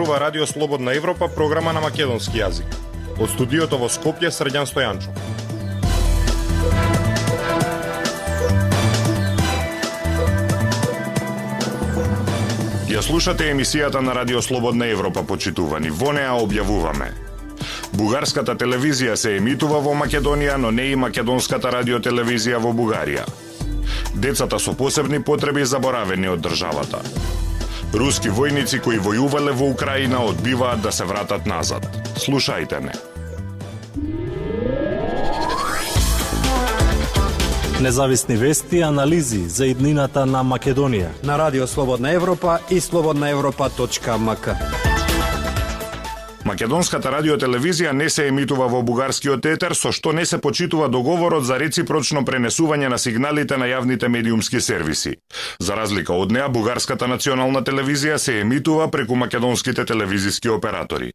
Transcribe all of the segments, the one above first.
зборува Радио Слободна Европа, програма на македонски јазик. Од студиото во Скопје, Срđan Стојанчо. Ја слушате емисијата на Радио Слободна Европа, почитувани. Во неа објавуваме: бугарската телевизија се емитува во Македонија, но не и македонската радиотелевизија во Бугарија. Децата со посебни потреби заборавени од државата. Руски војници кои војувале во Украина одбиваат да се вратат назад. Слушајте не. Независни вести и анализи за иднината на Македонија на Радио Слободна Европа и slobodnaevropa.mk. Македонската радиотелевизија не се емитува во бугарскиот етер, со што не се почитува договорот за реципрочно пренесување на сигналите на јавните медиумски сервиси. За разлика од неа, бугарската национална телевизија се емитува преку македонските телевизиски оператори.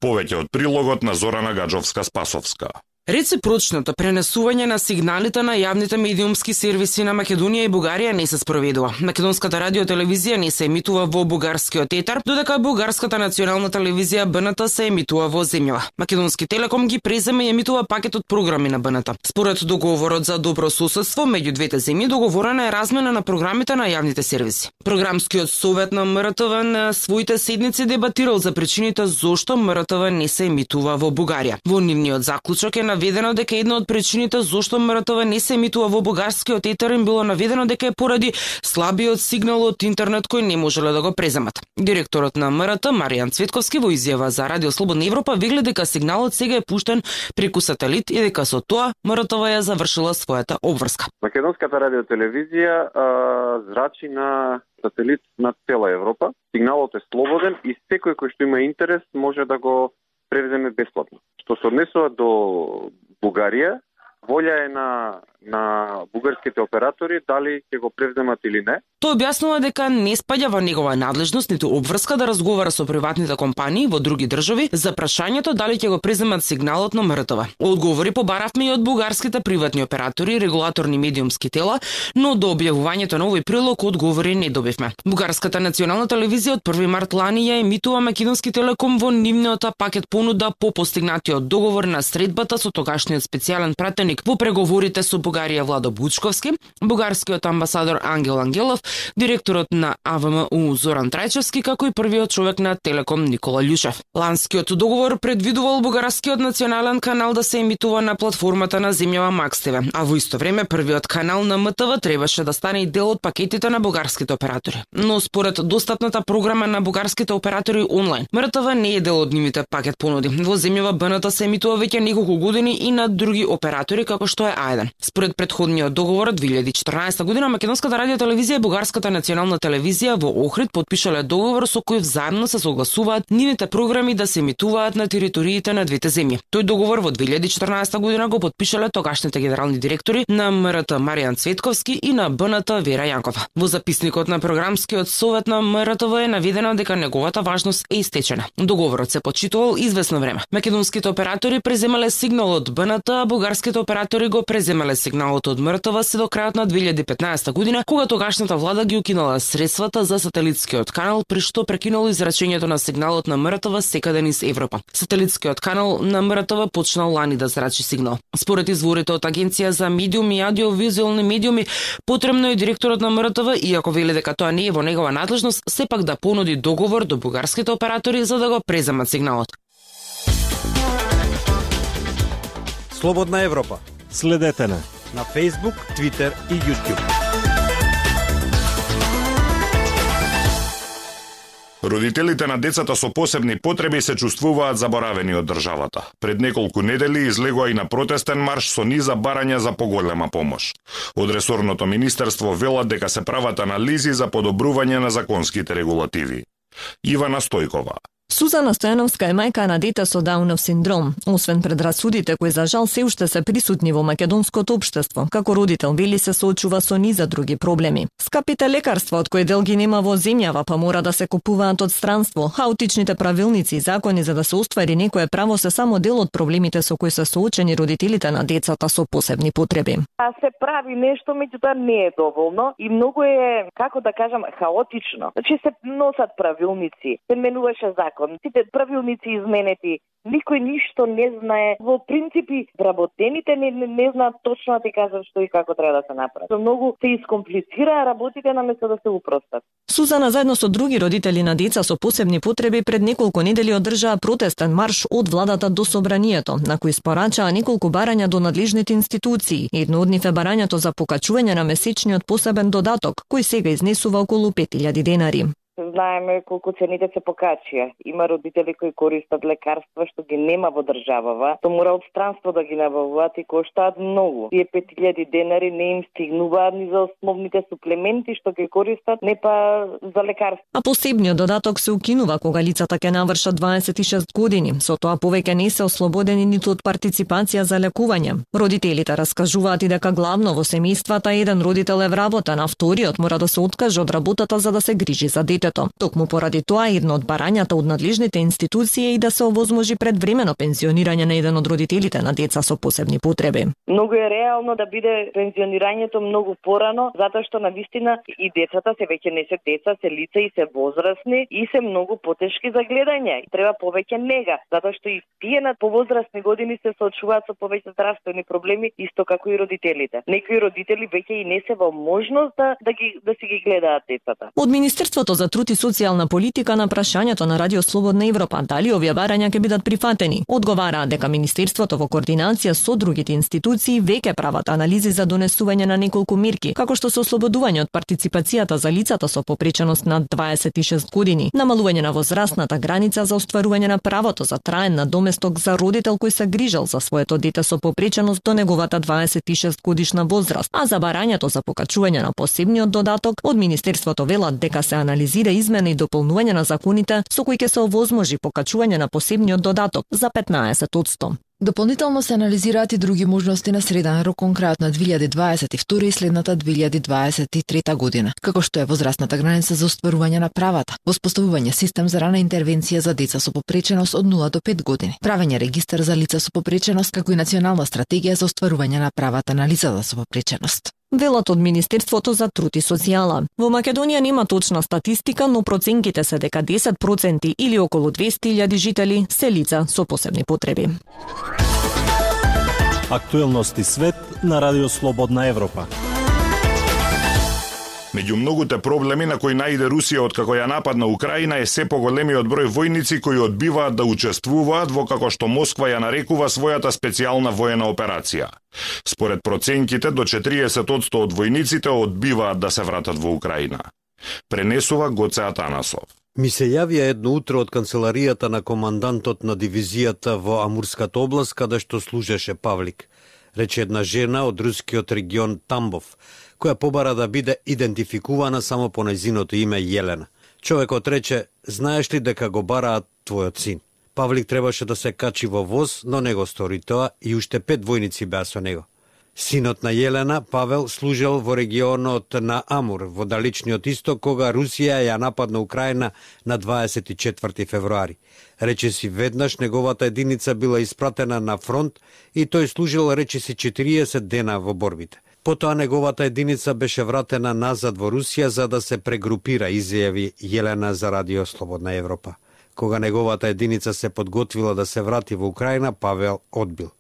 Повеќе од прилогот на Зорана Гаджовска-Спасовска. Реципрочното пренесување на сигналите на јавните медиумски сервиси на Македонија и Бугарија не се спроведува. Македонската радиотелевизија не се емитува во бугарскиот етер, додека бугарската национална телевизија БНТ се емитува во земјава. Македонски Телеком ги презема и емитува пакетот програми на БНТ. Според договорот за добро соседство меѓу двете земји, договорена е размена на програмите на јавните сервиси. Програмскиот совет на МРТВ на своите седници дебатирал за причините зошто МРТВ не се емитува во Бугарија. Во нивниот заклучок е наведено дека една од причините зошто МРТВ не се емитува во бугарскиот етер им било наведено дека е поради слабиот сигнал од интернет кој не можеле да го преземат. Директорот на МРТ Маријан Цветковски во изјава за Радио Слободна Европа вели дека сигналот сега е пуштен преку сателит и дека со тоа МРТВ ја завршила својата обврска. Македонската радиотелевизија зрачи на сателит над цела Европа. Сигналот е слободен и секој кој што има интерес може да го превземе бесплатно. Што се однесува до Бугарија, волја е на бугарските оператори дали ќе го превземат или не. Тој објаснува дека не спаѓа во негова надлежност ниту обврска да разговара со приватните компании во други држави за прашањето дали ќе го преземат сигналот на МРТВ. Одговори побаравме и од бугарските приватни оператори и регулаторни медиумски тела, но до објавувањето на овој прилог одговори не добивме. Бугарската национална телевизија од 1 март лани ја емитува Македонски Телеком во нивниот пакет понуда по постигнатиот договор на средбата со тогашниот специјален пратеник во преговорите со Бугарија Владо Бучковски, бугарскиот амбасадор Ангел Ангелов, директорот на АВМУ Зоран Трајчевски, како и првиот човек на Телеком Никола Љушев. Ланскиот договор предвидувал бугарскиот национален канал да се емитува на платформата на земјава Макс ТВ, а во исто време првиот канал на МТВ требаше да стане и дел од пакетите на бугарските оператори. Но според достапната програма на бугарските оператори онлайн, МРТВ не е дел од нивните пакет понуди. Во земјава БНТ се емитува веќе неколку години и на други оператори како што е А1. Според претходниот договор од 2014 година Македонската радиотелевизија и Бугарската национална телевизија во Охрид потпишале договор со кој взаимно се согласуваат нивните програми да се емитуваат на териториите на двете земји. Тој договор во 2014 година го потпишале тогашните генерални директори на МРТ Маријан Цветковски и на БНТ Вера Јанкова. Во записникот на програмскиот совет на МРТВ е наведено дека неговата важност е истечена. Договорот се почитувал извесно време. Македонските оператори преземале сигнал од БНТ, а бугарските оператори го преземале сигналот од МРТВ се до крајот на 2015 година, кога тогашната влада ги укинала средствата за сателитскиот канал, при што прекинало израчењето на сигналот на МРТВ секаде низ Европа. Сателитскиот канал на МРТВ почнал лани да зрачи сигнал. Според изворите од Агенција за медиуми и аудиовизуелни медиуми, потребно е директорот на МРТВ, иако вели дека тоа не е во негова надлежност, сепак да понуди договор до бугарските оператори за да го преземат сигналот. Слободна Европа. Следете на Facebook, Twitter и YouTube. Родителите на децата со посебни потреби се чувствуваат заборавени од државата. Пред неколку недели излегоа и на протестен марш со низа барања за поголема помош. Од ресорното министерство велат дека се прават анализи за подобрување на законските регулативи. Ивана Стојкова. Сузана Стојановска е мајка на дете со Даунов синдром. Освен предрасудите кои за жал се уште се присутни во македонското општество, како родител вели се соочува со низа други проблеми. Скапите лекарства од кои дел ги нема во земјава, па мора да се купуваат од странство. Хаотичните правилници и закони за да се оствари некое право се само дел од проблемите со кои се соочени родителите на децата со посебни потреби. Се прави нешто, меѓутоа не е доволно и многу е, како да кажам, хаотично. Значи се носат правилници, се менуваше закон, закон, сите правилници изменети, никој ништо не знае. Во принципи, вработените не знаат точно да ти кажат што и како треба да се направи. Многу се искомплицираа работите наместо да се упростат. Сузана заедно со други родители на деца со посебни потреби пред неколку недели одржаа протестен марш од владата до собранието, на кој испорачаа неколку барања до надлежните институции. Едно од нив е барањето за покачување на месечниот посебен додаток, кој сега изнесува околу 5000 денари. Знаеме колку цените се покачија. Има родители кои користат лекарства што ги нема во државава, то мора од странство да ги набавуваат и коштаат многу. Тие 5000 денари не им стигнуваат ни за основните суплементи што ги користат, не па за лекарства. А посебниот додаток се укинува кога лицата ќе навршат 26 години. Со тоа повеќе не се ослободени ниту од партиципација за лекување. Родителите раскажуваат и дека главно во семејствата еден родител е вработен, а вториот мора да се откаже од работата за да се грижи за детето. Токму поради тоа едно од барањата од надлежните институции е и да се овозможи предвремено пензионирање на еден од родителите на деца со посебни потреби. Многу е реално да биде пензионирањето многу порано, затоа што навистина и децата се веќе не се деца, се лица и се возрастни и се многу потешки за гледање. Треба повеќе нега, затоа што и тие на повозрастни години се соочуваат со повеќе здравствени проблеми, исто како и родителите. Некои родители веќе и не се во можност да си ги гледаат децата. Од Министерството за труд и социјална политика на прашањето на Радио Слободна Европа дали овие барања ќе бидат прифатени, одговараат дека Министерството во координација со другите институции веќе прават анализи за донесување на неколку мерки, како што се ослободување од партиципацијата за лицата со попреченост над 26 години, намалување на возрастната граница за остварување на правото за траен надоместок за родител кој се грижел за своето дете со попреченост до неговата 26 годишна возраст, а за барањето за покачување на посебниот додаток од Министерството велат дека се анализира измена и дополнување на законите со кои ќе се овозможи покачување на посебниот додаток за 15%. Дополнително се анализираат и други можности на среден рок кон крајот на 2022 и следната 2023 година, како што е возрастната граница за остварување на правата, воспоставување систем за рана интервенција за деца со попреченост од 0 до 5 години, правење регистар за лица со попреченост, како и национална стратегија за остварување на правата на лицата со попреченост. Велат од Министерството за труд и социјала. Во Македонија нема точна статистика, но проценките се дека 10% или околу 200.000 жители се лица со посебни потреби. Актуелности свет на Радио Слободна Европа. Меѓу многуте проблеми на кои наиде Русија откако ја нападна Украина е се поголемиот број војници кои одбиваат да учествуваат во како што Москва ја нарекува својата специјална воена операција. Според проценките, до 40% од војниците одбиваат да се вратат во Украина. Пренесува Гоце Атанасов. Ми се јавија едно утро од канцеларијата на командантот на дивизијата во Амурската област, каде што служеше Павлик. Рече една жена од рускиот регион Тамбов, која побара да биде идентификувана само по нејзиното име Јелена. Човекот рече: "Знаеш ли дека го бараат твојот син?" Павлик требаше да се качи во воз, но не го стори тоа и уште 5 војници беа со него. Синот на Јелена, Павел, служел во регионот на Амур, во далечниот исток, кога Русија ја нападна Украина на 24 февруари. Речиси веднаш неговата единица била испратена на фронт и тој служил речиси 40 дена во борбите. Потоа неговата единица беше вратена назад во Русија за да се прегрупира, изјави Јелена за Радио Слободна Европа. Кога неговата единица се подготвила да се врати во Украина, Павел одбил.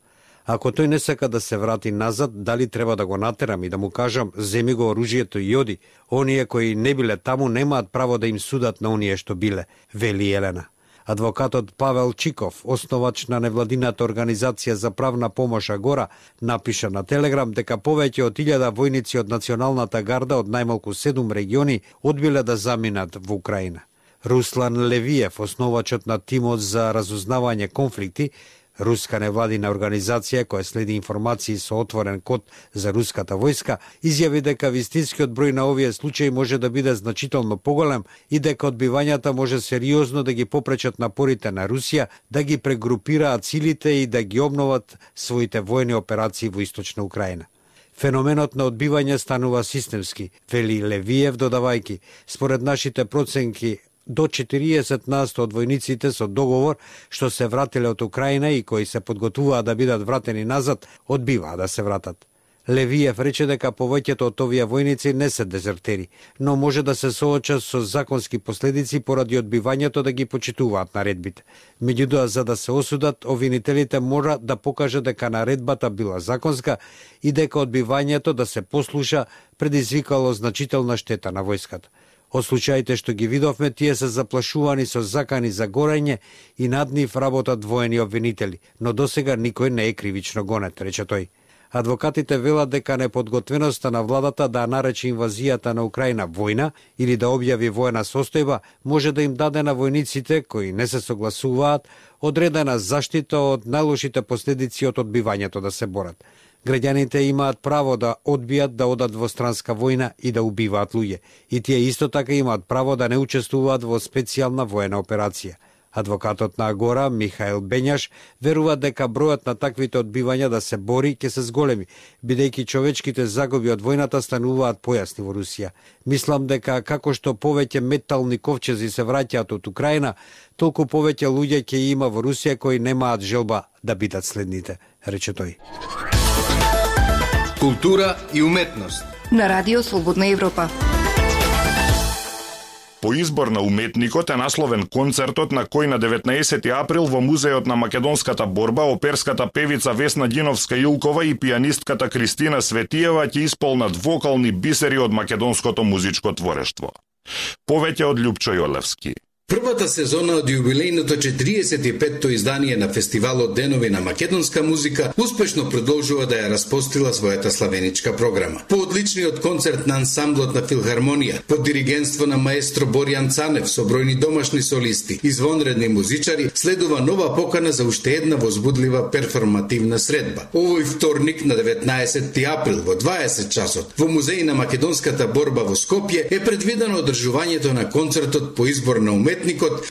Ако тој не сака да се врати назад, дали треба да го натерам и да му кажам: "Земи го оружјето и оди"? Оние кои не биле таму немаат право да им судат на оние што биле, вели Јелена. Адвокатот Павел Чиков, основач на невладината организација за правна помош Агора, напиша на Телеграм дека повеќе од 1000 војници од Националната гарда од најмалку 7 региони одбиле да заминат во Украина. Руслан Левиев, основачот на тимот за разузнавање конфликти, руска невладина организација која следи информации со отворен код за руската војска, изјави дека вистинскиот број на овие случаи може да биде значително поголем и дека одбивањата може сериозно да ги попречат напорите на Русија да ги прегрупираат силите и да ги обноват своите војни операции во источна Украина. Феноменот на одбивање станува системски, вели Левиев, додавајки: "Според нашите проценки, до 40% од војниците со договор што се вратиле од Украина и кои се подготвуваат да бидат вратени назад, одбиваат да се вратат." Левиев рече дека повеќето од овие војници не се дезертери, но може да се соочат со законски последици поради одбивањето да ги почитуваат наредбите. Меѓутоа, за да се осудат, обвинителите мора да покаже дека наредбата била законска и дека одбивањето да се послуша предизвикало значителна штета на војската. Од случаите што ги видовме, тие се заплашувани со закани за горење и над нив работат воени обвинители, но досега никој не е кривично гонет, рече тој. Адвокатите велат дека неподготвеноста на владата да нарече инвазијата на Украина војна или да објави воена состојба може да им даде на војниците кои не се согласуваат одредена заштита од најлошите последици од одбивањето да се борат. Граѓаните имаат право да одбијат да одат во странска војна и да убиваат луѓе, и тие исто така имаат право да не учествуваат во специјална воена операција. Адвокатот на Агора, Михаил Бењаш, верува дека бројот на таквите одбивања да се бори ќе се зголеми, бидејќи човечките загуби од војната стануваат појасни во Русија. Мислам дека како што повеќе метални ковчези се враќаат од Украина, толку повеќе луѓе ќе има во Русија кои немаат желба да бидат следните, рече тој. Култура и уметност на Радио Слободна Европа. По избор на уметникот е насловен концертот на кој на 19 април во Музеот на македонската борба оперската певица Весна Ѓиновска-Илкова и пијанистката Кристина Светиева ќе исполнат вокални бисери од македонското музичко творештво. Повеќе од Љупчо Јолевски. Првата сезона од јубилејното 45-то издание на фестивалот Денови на македонска музика успешно продолжува да ја распостила својата славеничка програма. По одличниот концерт на ансамблот на Филхармонија, под диригентство на маестро Боријан Цанев со бројни домашни солисти, извонредни музичари, следува нова покана за уште една возбудлива перформативна средба. Овој вторник на 19 април во 20 часот во Музеј на македонската борба во Скопје е предвидено одржувањето на концертот по избор на уметникот,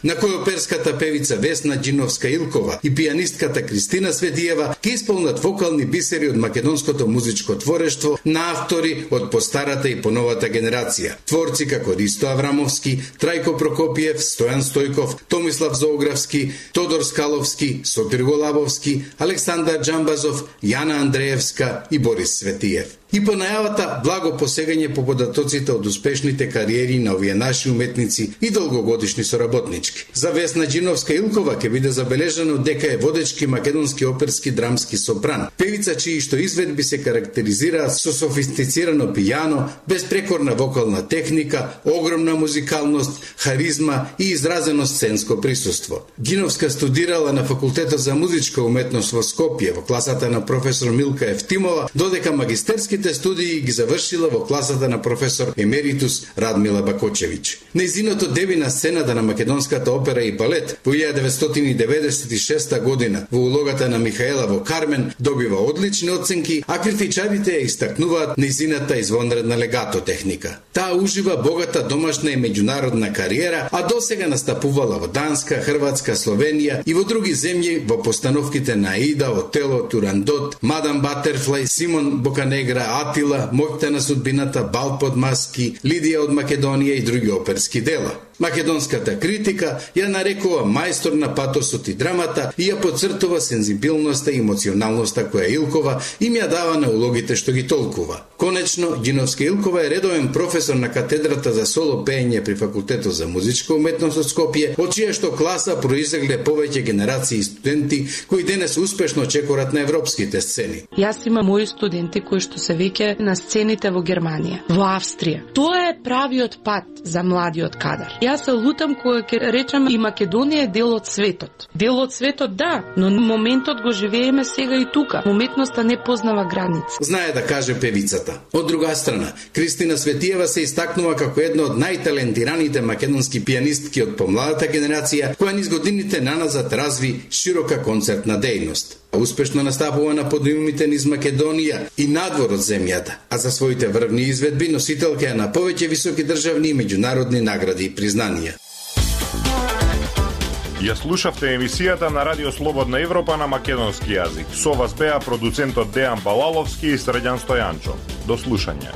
на кој оперската певица Весна Ѓиновска-Илкова и пијанистката Кристина Светиева ќе исполнат вокални бисери од македонското музичко творештво на автори од постарата и поновата генерација. Творци како Ристо Аврамовски, Трајко Прокопиев, Стојан Стојков, Томислав Зоографски, Тодор Скаловски, Сотир Голабовски, Александар Џамбазов, Јана Андреевска и Борис Светиев. И по најавата благо посегање по податоците од успешните кариери на овие наши уметници и долгогодишни соработнички. За Весна Ѓиновска-Илкова ќе биде забележано дека е водечки македонски оперски драмски сопран. Певица чии што изведби се карактеризираат со софистицирано пијано, безпрекорна вокална техника, огромна музикалност, харизма и изразено сценско присуство. Ѓиновска студирала на Факултетот за музичка уметност во Скопје во класата на професор Милка Евтимова, додека магистерски студии ги завршила во класата на професор емеритус Радмила Бакочевиќ. Нејзиното деби на сцената на македонската опера и балет во 1996 година во улогата на Михаела во Кармен добива одлични оценки, а критичарите ја истакнуваат нејзината извонредна легато техника. Таа ужива богата домашна и меѓународна кариера, а досега настапувала во Данска, Хрватска, Словенија и во други земји во постановките на Аида, Отело, Турандот, Мадам Батерфлај, Симон Боканегра, Атила, Моќта на судбината, Бал под маски, Лидија од Македонија и други оперски дела. Македонската критика ја нарекува мајстор на патосот и драмата и ја подцртува сензибилноста и емоционалноста која Илкова им ја дава на улогите што ги толкува. Конечно, Ѓиновска-Илкова е редовен професор на катедрата за соло пеење при Факултетот за музичка уметност од Скопје, од чија што класа произлегле повеќе генерации студенти кои денес успешно чекорат на европските сцени. Јас имам мои студенти кои што се веќе на сцените во Германија, во Австрија. Тоа е правиот пат за младиот кадар. Јас се лутам кога ќе речам и Македонија е дел од светот. Дел од светот, да, но моментот го живееме сега и тука. Уметноста не познава граници. Знае да каже певицата. Од друга страна, Кристина Светиева се истакнува како една од најталентираните македонски пијанистки од помладата генерација, која низ годините наназад разви широка концертна дејност. Успешно настапува на подиумите низ Македонија и надвор од земјата, а за своите врвни изведби носителка е на повеќе високи државни и меѓународни награди и признанија. Ја слушавте емисијата на Радио Слободна Европа на македонски јазик. Со вас беа продуцентот Дејан Балаловски и Средјан Стојанчо. До слушање.